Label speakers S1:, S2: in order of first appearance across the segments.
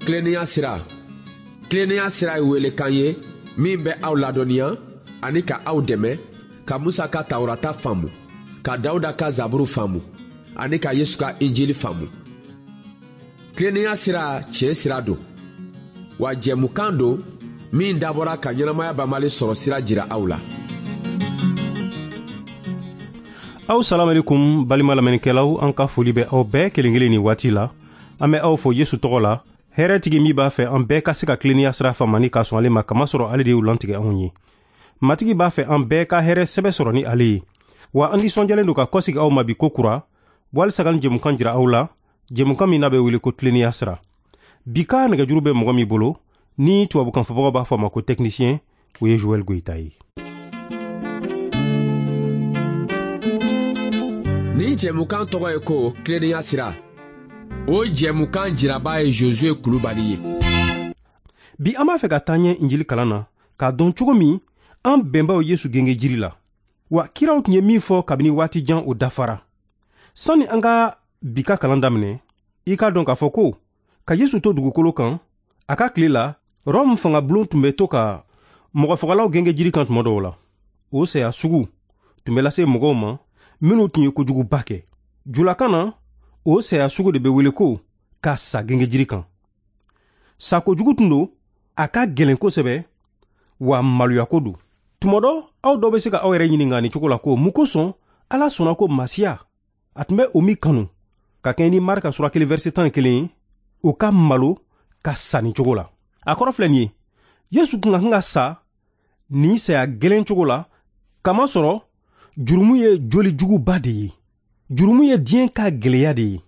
S1: Tilennenya sira. Tilennenya sira ye welekan ye min bɛ aw ladɔnniya ani ka aw dɛmɛ ka Musa ka Tawurata faamu, ka Dawuda ka Zaburu faamu ani ka Yesu ka Injili faamu. Tilennenya sira tiɲɛ sira don, wa jɛmukan don min dabɔra ka ɲɛnamaya banbali sɔrɔ sira jira aw la.
S2: Aw salamalekum balima lamɛnnikɛlaw, an ka foli bɛ aw bɛɛ kelen kelen nin waati la. An bɛ aw fo Yesu tɔgɔ la, hɛrɛtigi min b'a fɛ an bɛɛ ka se ka tilennenya sira faamu ani ka sɔn ale ma, kamasɔrɔ ale de y'u lantigɛ anw ye. Matigi b'a fɛ an bɛɛ ka hɛrɛ sɛbɛ sɔrɔ ni ale ye. Wa an nisɔndiyalen don ka kɔsegi aw ma bi ko kura, walisa ka nin jɛmukan jira aw la, jɛmukan min n'a bɛ wele ko tilennenya sira. Bi ka nɛgɛjuru bɛ mɔgɔ min bolo, ni tubabukan fɔbagaw b'a fɔ a ma ko technicien, o ye Joël Goïta ye.
S1: Nin jɛmukan tɔgɔ ye ko tilennenya sira. O jɛmukan jiraba ye Josué Kulubali ye.
S2: Bi an b'a fɛ ka taa ɲɛ Injili kalan na, k'a dɔn cogo min an bɛnbaw Yesu genge jiri la. Wa kiraw tun ye min fɔ kabini waati jan, o dafara. Sani an ka bi ka kalan daminɛ, i k'a dɔn k'a fɔ ko ka Yesu to dugukolo kan, a ka tile la, Rɔmu fangabulon tun bɛ to ka mɔgɔfagalaw genge jiri kan tuma dɔw la. O saya sugu tun bɛ lase mɔgɔw ma minnu tun ye kojuguba kɛ. Julakan na, o saya sugu de bɛ wele ko ka sa genge jiri kan. Sakojugu tun don, a ka gɛlɛn kosɛbɛ, wa maloyako don. Tuma dɔ, aw dɔw bɛ se ka aw yɛrɛ ɲininka nin cogo la ko mun kosɔn Ala sɔnna ko Masiya, a tun bɛ o min kanu, ka kɛɲɛ ni Marika sura 1 verset 11 ye, o ka malo ka sa nin cogo la. A kɔrɔ filɛ nin ye, Yesu tun ka kan ka sa nin saya gɛlɛn cogo la, kamasɔrɔ jurumu ye joli juguba de ye. Jurumu ye diɲɛ ka gɛlɛya de ye.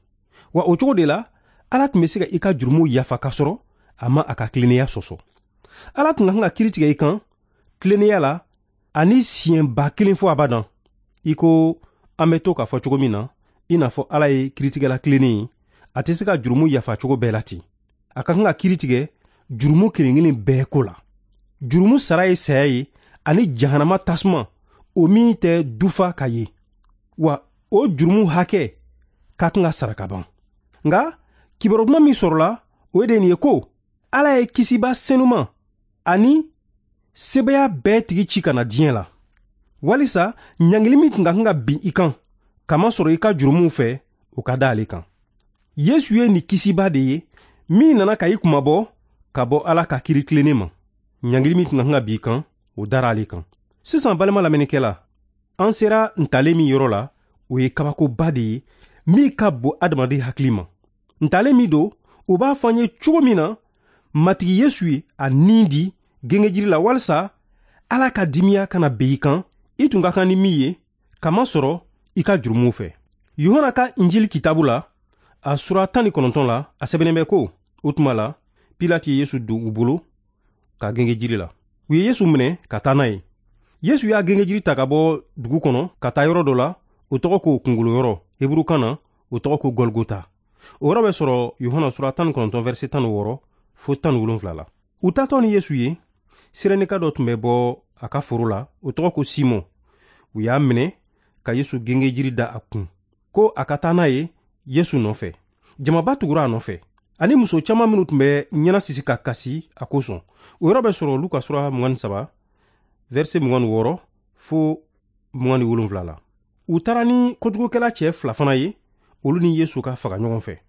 S2: Wa o cogo de la, Ala tun bɛ se ka i ka jurumu yafa ka sɔrɔ a ma a ka tilennenya sɔsɔ. Ala tun ka kan ka kiiri tigɛ i kan tilennenya la ani siɲɛ 1000 fo abadan. I ko an bɛ to k'a fɔ cogo min na, i n'a fɔ Ala ye kiiritigɛla tilennen ye, a tɛ se ka jurumu yafa cogo bɛɛ la ten. A ka kan ka kiiri tigɛ jurumu kelen kelen bɛɛ ko la. Jurumu sara ye saya ye ani jahanama tasuma, o min tɛ dufa ka ye. Wa o jurumu hakɛ ka kan ka sara ka ban. Nka kibaru duman min sɔrɔla, o de nin ye ko Ala ye kisiba senuma ani sebaya bɛɛ tigi ci ka na diɲɛ la, walisa ɲangili min tun ka kan ka bin i kan kamasɔrɔ i ka jurumuw fɛ, o ka da ale kan. Yesu ye nin kisiba de ye min nana ka i kunmabɔ ka bɔ Ala ka kiiri tilennen ma. Ɲangili min tun ka kan ka bin i kan, o dara ale kan. Sisan balima lamɛnnikɛla, an sera ntalen min yɔrɔ la, o ye kabakoba de ye min ka bon adamaden hakili ma. Ntalen min don, o b'a fɔ an ye cogo min na Matigi Yesu ye a nin di gengejiri la walisa Ala ka dimiya kana bin i kan, i tun ka kan ni min ye, kamasɔrɔ i ka jurumuw fɛ. Yohana ka Injili kitabu la, a sura 19 la, a sɛbɛnnen bɛ ko, o tuma la, Pilate ye Yesu don u bolo ka gengejiri la. U ye Yesu minɛ ka taa n'a ye. Yesu y'a gengejiri ta ka bɔ dugu kɔnɔ ka taa yɔrɔ dɔ la, o tɔgɔ ko kungolo yɔrɔ, heburukan na, o tɔgɔ ko Golgota. O yɔrɔ bɛ sɔrɔ Yohana sura 19 verset 16 fo 17 la. U taatɔ ni Yesu ye, Sirenika dɔ tun bɛ bɔ a ka foro la, o tɔgɔ ko Simɔn. U y'a minɛ ka Yesu gengejiri da a kun, ko a ka taa n'a ye Yesu nɔfɛ. Jamaba tugura a nɔfɛ, ani muso caman minnu tun bɛ ɲɛnasisi ka kasi a kosɔn. O yɔrɔ bɛ sɔrɔ Luka sura 23 verset 26 fo 27 la. U taara ni kojugukɛla cɛ fila fana ye, olu ni Yesu ka faga ɲɔgɔn fɛ.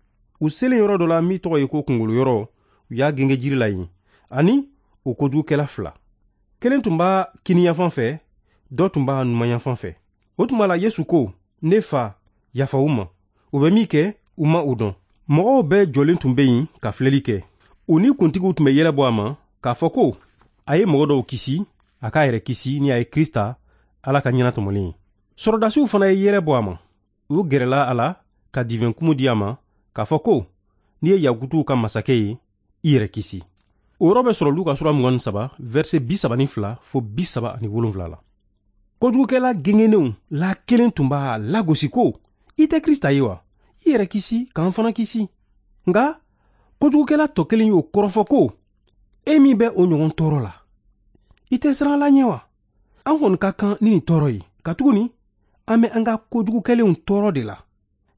S2: U selen yɔrɔ dɔ la min tɔgɔ ye ko kungolo yɔrɔ, u y'a genge jiri la yen, ani o kojugukɛla fila. Kelen tun b'a kiniyanfan fɛ, dɔ tun b'a numanyanfan fɛ. O tuma la Yesu ko, ne fa, yafa u ma. U bɛ min kɛ, u ma o dɔn. Mɔgɔw bɛɛ jɔlen tun bɛ yen ka filɛli kɛ. U ni kuntigiw tun bɛ yɛlɛ bɔ a ma k'a fɔ ko a ye mɔgɔ dɔw kisi, a k'a yɛrɛ kisi ni a ye Krista, Ala ka ɲɛnatɔmɔlen ye. Sɔrɔdasiw fana ye yɛlɛ bɔ a ma. U gɛrɛla a la ka divɛnkumu di a ma k'a fɔ ko n'i ye Yakutuw ka masakɛ ye, i yɛrɛ kisi. O yɔrɔ bɛ sɔrɔ Luka sura 23 verset 32 fo 37 la. Kojugukɛla gengenenw la kelen tun b'a lagosi ko i tɛ Krista ye wa? I yɛrɛ kisi k'an fana kisi. Nka kojugukɛla tɔ kelen y'o kɔrɔfɔ ko e min bɛ o ɲɔgɔn tɔɔrɔ la, i tɛ siran Ala ɲɛ wa? An kɔni ka kan ni nin tɔɔrɔ ye, katuguni an bɛ an ka kojugukɛlenw tɔɔrɔ de la.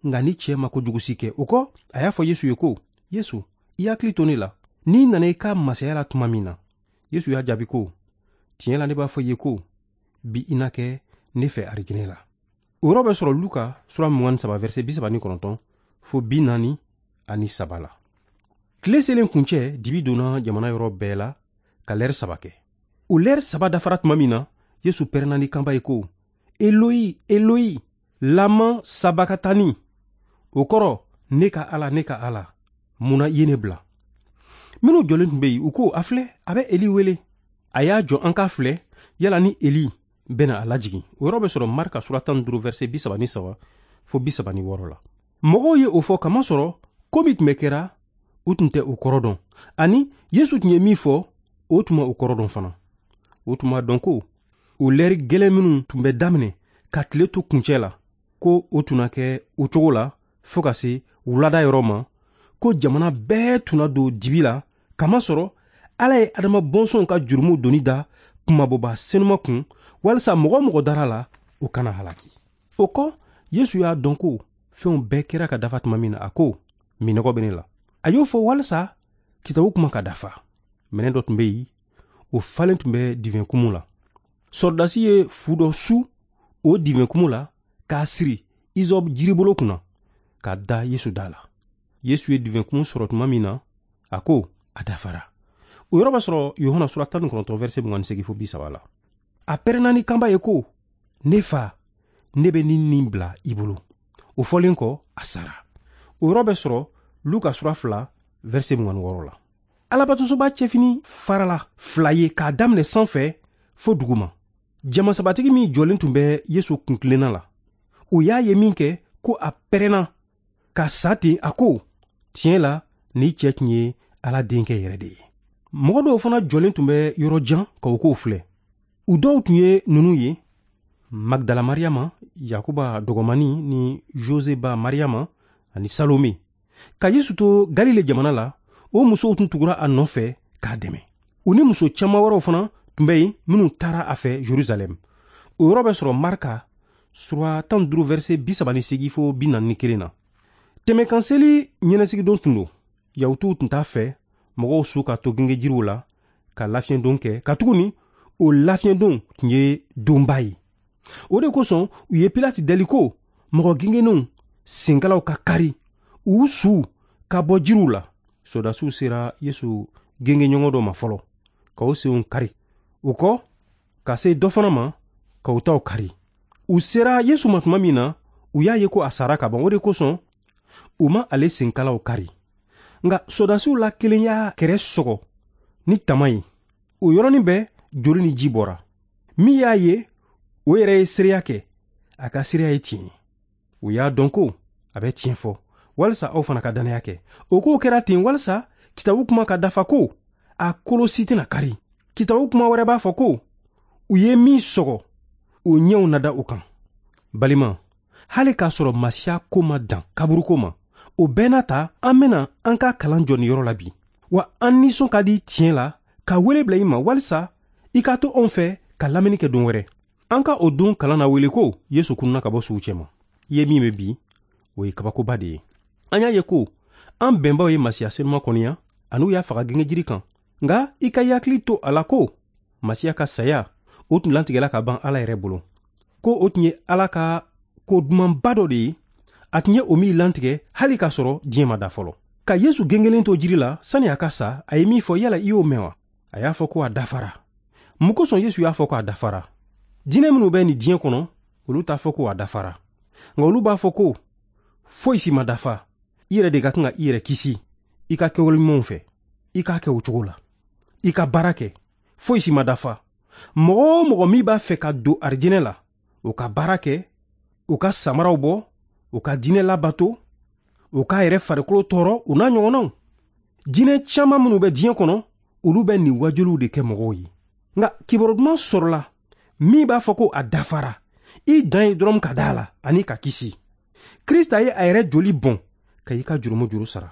S2: Nka ni cɛ ma kojugu si kɛ, o kɔ a y'a fɔ Yesu ye ko, Yesu, i hakili to ne la. N'i nana i ka masaya la tuma min na. Yesu y'a jaabi ko, tiɲɛ la ne b'a fɔ i ye ko bi i na kɛ ne fɛ arijinɛ la. O yɔrɔ bɛ sɔrɔ Luka sura 23 verset 39 fo 43 la. Tile selen kuncɛ, dibi donna jamana yɔrɔ bɛɛ la ka lɛri 3 kɛ. O lɛri 3 dafara tuma min na, Yesu pɛrɛnna ni kanba ye ko, Eloyi, Eloyi, lama sabakatani. O kɔrɔ, ne ka Ala, ne ka Ala, mun na i ye ne bila? Minnu jɔlen tun bɛ yen, u ko, a filɛ, a bɛ Eli wele. A y'a jɔ an k'a filɛ, yala ni Eli bɛna a lajigin. O yɔrɔ bɛ sɔrɔ Marka sura 15 verset 33 fo 36 la. Mɔgɔw ye o fɔ kamasɔrɔ ko min tun bɛ kɛra, u tun tɛ o kɔrɔ dɔn. Ani Yesu tun ye min fɔ, o tun ma o kɔrɔ dɔn fana. O tun b'a dɔn ko o lɛri gɛlɛn minnu tun bɛ daminɛ ka tile to kuncɛ la, ko o tun na kɛ o cogo la fo ka se wulada yɔrɔ ma, ko jamana bɛɛ tun na don dibi la, kamasɔrɔ Ala ye Adama bɔnsɔnw ka jurumu doni da kunmabɔba senuma kun, walisa mɔgɔ mɔgɔ dara la, o kana halaki. O kɔ, Yesu y'a dɔn ko fɛnw bɛɛ kɛra ka dafa tuma min na, a ko, minnɔgɔ bɛ ne la. A y'o fɔ walisa kitabu kuma ka dafa. Minɛn dɔ tun bɛ yen, o falen tun bɛ divɛnkumu la. Sɔrɔdasi ye fu dɔ su o divɛnkumu la k'a siri izɔb jiribolo kunna k'a da Yesu da la. Yesu ye divɛnkumu sɔrɔ tuma min na, a ko, a dafara. O yɔrɔ b'a sɔrɔ Yohana sura 19 verset 28 fo 30 la. A pɛrɛnna ni kanba ye ko, ne fa, ne bɛ nin bila i bolo. O fɔlen kɔ, a sara. O yɔrɔ bɛ sɔrɔ Luka sura 2 verset 26 la. Alabatosoba cɛfini farala 2 ye k'a daminɛ sanfɛ fo duguma. Jamasabatigi min jɔlen tun bɛ Yesu kuntilenna la, o y'a ye min kɛ ko a pɛrɛnna ka sa ten, a ko, tiɲɛ la ni cɛ tun ye Ala denkɛ yɛrɛ de ye. Mɔgɔ dɔw fana jɔlen tun bɛ yɔrɔ jan ka o kow filɛ. U dɔw tun ye ninnu ye, Magdala Mariyama, Yakuba dɔgɔmani ni Joseba Mariyama ani Salome. Ka Yesu to Galile jamana la, o musow tun tugura a nɔfɛ k'a dɛmɛ. U ni muso caman wɛrɛw fana tun bɛ yen minnu taara a fɛ Jerusalɛm. O yɔrɔ bɛ sɔrɔ Marka sura 15 verset 38 fo 41 na. Tɛmɛkanseli ɲɛnasigidon tun don. Yahutuw tun t'a fɛ mɔgɔw su ka to gengejiriw la ka lafiɲɛdon kɛ, katuguni o lafiɲɛdon tun ye donba ye. O de kosɔn u ye Pilati deli ko mɔgɔ gengennenw senkalaw ka kari, u suw ka bɔ jiriw la. Sɔrɔdasiw sera Yesu gengenɲɔgɔn dɔ ma fɔlɔ ka o senw kari. O kɔ ka se dɔ fana ma ka u taw kari. U sera Yesu ma tuma min na, u y'a ye ko a sara ka ban. O de kosɔn u ma ale senkalaw kari. Nka sɔrɔdasiw la kelen y'a kɛrɛ sɔgɔ ni tama ye. O yɔrɔnin bɛɛ joli ni ji bɔra. Min y'a ye, o yɛrɛ ye seereya kɛ, a ka seereya ye tiɲɛ ye. U y'a dɔn ko a bɛ tiɲɛ fɔ, walisa aw fana ka dannaya kɛ. O kow kɛra ten walisa kitabu kuma ka dafa ko, a kolo si tɛna kari. Kitabu kuma wɛrɛ b'a fɔ ko, u ye min sɔgɔ, o ɲɛw na da o kan. Balima, hali k'a sɔrɔ Masiya ko ma dan kaburuko ma, o bɛɛ n'a ta, an bɛna an ka kalan jɔ nin yɔrɔ la bi. Wa an nisɔn ka di tiɲɛ la ka wele bila i ma walisa i ka to anw fɛ ka lamɛnni kɛ don wɛrɛ. An ka o don kalan na wele ko Yesu kununa ka bɔ suw cɛma. I ye min bɛ bi, o ye kabakoba de ye. An y'a ye ko an bɛnbaw ye Masiya senuma kɔniya ani u y'a faga gengejiri kan. Nka i ka hakili to a la ko Masiya ka saya, o tun latigɛla ka ban Ala yɛrɛ bolo. Ko o tun ye Ala ka ko dumanba dɔ de ye, a tun ye o min lantigɛ hali k'a sɔrɔ diɲɛ ma da fɔlɔ. Ka Yesu gengelen to jiri la sani a ka sa, a ye min fɔ, yala i y'o mɛn wa? A y'a fɔ ko a dafara. Mun kosɔn Yesu y'a fɔ ko a dafara? Diinɛ minnu bɛ nin diɲɛ kɔnɔ, olu t'a fɔ ko a dafara. Nka olu b'a fɔ ko foyi si ma dafa. I yɛrɛ de ka kan ka i yɛrɛ kisi i ka kɛwale ɲumanw fɛ. I k'a kɛ o cogo la. I ka baara kɛ. Foyi si ma dafa. Mɔgɔ o mɔgɔ min b'a fɛ ka don arijinɛ la, o ka baara kɛ, o ka samaraw bɔ, o ka diinɛ labato, o k'a yɛrɛ farikolo tɔɔrɔ, o n'a ɲɔgɔnnaw. Diinɛ caman minnu bɛ diɲɛ kɔnɔ, olu bɛ nin wajuliw de kɛ mɔgɔw ye. Nka kibaru duman sɔrɔla min b'a fɔ ko a dafara. I dan ye dɔrɔn ka da a la ani ka kisi. Krista ye a yɛrɛ joli bɔn ka i ka jurumu juru sara.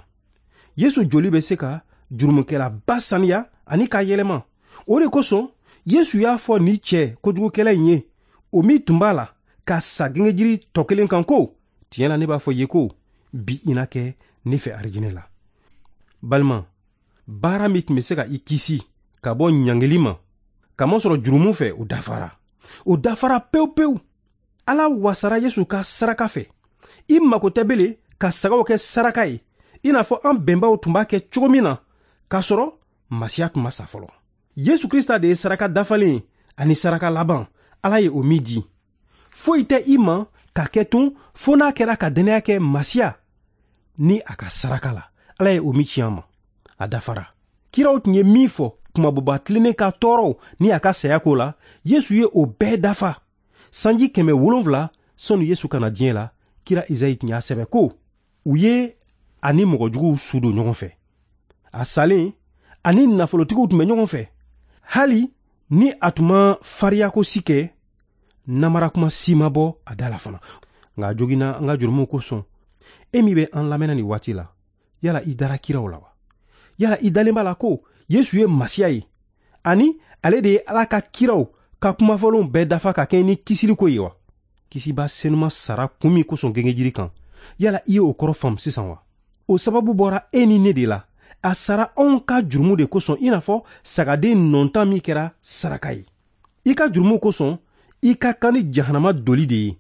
S2: Yesu joli bɛ se ka jurumukɛlaba saniya ani k'a yɛlɛma. O de kosɔn Yesu y'a fɔ ni cɛ kojugukɛla in ye, o min tun b'a la ka sa gengejiri tɔ kelen kan ko, tiɲɛ la ne b'a fɔ i ye ko bi i na kɛ ne fɛ arijinɛ la. Balima, Baara min tun bɛ se ka i kisi ka bɔ ɲangili ma, kamasɔrɔ jurumu fɛ, o dafara. O dafara pewu pewu. Ala wasara Yesu ka saraka fɛ. I mago tɛ bele ka sagaw kɛ saraka ye, i n'a fɔ an bɛnbaw tun b'a kɛ cogo min na, k'a sɔrɔ Masiya tun ma sa fɔlɔ. Yesu Krista de ye saraka dafalen ani saraka laban, Ala ye o min di. Foyi tɛ i ma ka kɛ tun fo n'a kɛra ka dɛnɛya kɛ Masiya ni a ka saraka la, Ala ye o min ci an ma. A dafara. Kiraw tun ye min fɔ kumabɔba tilennen ka tɔɔrɔw ni a ka saya ko la, Yesu ye o bɛɛ dafa. Sanji 700 sɔnni Yesu ka na diɲɛ la, kira Izayi tun y'a sɛbɛ ko u ye ani mɔgɔjuguw su don ɲɔgɔn fɛ. A salen ani nafolotigiw tun bɛ ɲɔgɔn fɛ. Hali ni a tun ma fariyako si kɛ, namarakuma si ma bɔ a da la fana. Nka a joginna an ka jurumuw kosɔn. E min bɛ an lamɛnna nin waati la, yala i dara kiraw la wa? Yala i dalen b'a la ko Yesu ye Masiya ye, ani ale de ye Ala ka kiraw ka kumafɔlenw bɛɛ dafa ka kɛ ni kisiliko ye wa? Kisiba senuma sara kun min kosɔn gengejiri kan, yala i ye o kɔrɔ faamu sisan wa? O sababu bɔra e ni ne de la. A sara anw ka jurumu de kosɔn, i n'a fɔ sagaden nɔntan min kɛra saraka ye. I ka jurumu kosɔn, i ka kan ni jahanama doli de ye.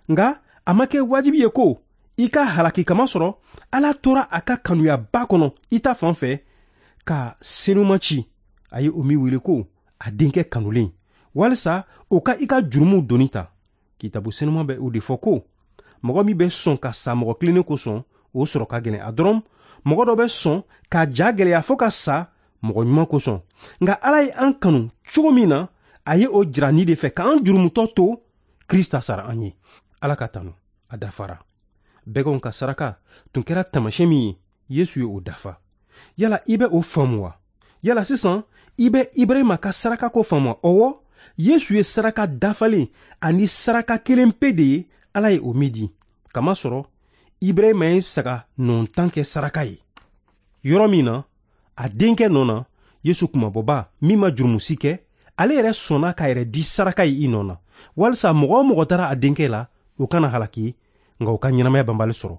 S2: Nka a ma kɛ wajibi ye ko i ka halaki kama sɔrɔ, Ala tora a ka kanuyaba kɔnɔ i ta fan fɛ ka senuma ci, a ye o min wele ko a denkɛ kanulen, walisa o ka i ka jurumuw doni ta. Kitabu senuma bɛ o de fɔ ko mɔgɔ min bɛ sɔn ka sa mɔgɔ kilennen kosɔn, o sɔrɔ ka gɛlɛn. A dɔrɔn mɔgɔ dɔ bɛ sɔn ka ja gɛlɛya fo ka sa mɔgɔ ɲuman kosɔn. Nka Ala ye an kanu cogo min na, a ye o jira ni de fɛ k'an jurumutɔ to Krista sara an ye. Ala ka tanu, a dafara. Bɛganw ka saraka tun kɛra taamasiyɛn min ye, Yesu ye o dafa. Yala i bɛ o faamu wa? Yala sisan i bɛ Ibrahima ka saraka ko faamu wa? Ɔwɔ, Yesu ye saraka dafalen ani saraka kelen pe de ye, Ala ye o min di. Kamasɔrɔ Ibrahima ye saga nɔntan kɛ saraka ye. Yɔrɔ min na, a denkɛ nɔ na, Yesu kumabɔba min ma jurumu si kɛ, ale yɛrɛ sɔnna k'a yɛrɛ di saraka ye i nɔ na, walisa mɔgɔ o mɔgɔ taara a denkɛ la, o kana halaki, nka o ka ɲɛnamaya banbali sɔrɔ.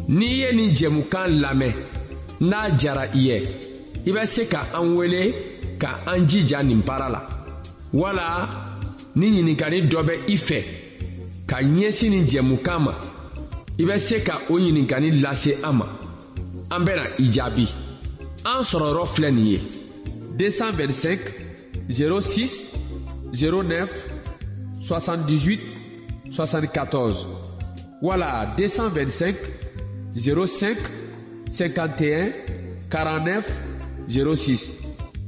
S1: N'i ye nin jɛmukan lamɛn, n'a jara i ye, i bɛ se ka an wele ka an jija nin baara la. Wala ni ɲininkali dɔ bɛ i fɛ ka ɲɛsin nin jɛmukan ma, i bɛ se ka o ɲininkali lase an ma. An bɛna i jaabi. An sɔrɔyɔrɔ filɛ nin ye: 225 06 09 78 74 wala 225 05 51 49 06.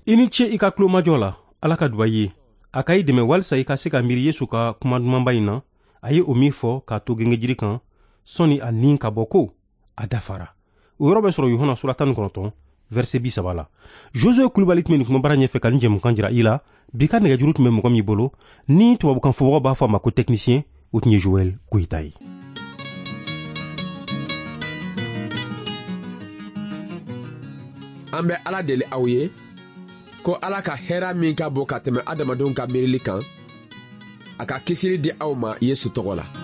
S2: I ni ce i ka tulomajɔ la. Ala ka duba i ye. A ka i dɛmɛ walisa i ka se ka miiri Yesu ka kuma dumanba in na, a ye o min fɔ k'a to gengejiri kan sɔnni a nin ka bɔ ko a dafara. O yɔrɔ bɛ sɔrɔ Yohana sura 19 verset 30 la. Josue Kulubali tun bɛ nin kumabara ɲɛfɛ ka nin jɛmukan jira i la. Bi ka nɛgɛjuru tun bɛ mɔgɔ min bolo, ni tubabukan fɔbagaw b'a fɔ a ma ko technicien, o tun ye Joël Goyita ye.
S1: An bɛ Ala deli aw ye ko Ala ka hɛra min ka bon ka tɛmɛ adamadenw ka miirili kan, a ka kisili di aw ma Yesu tɔgɔ la.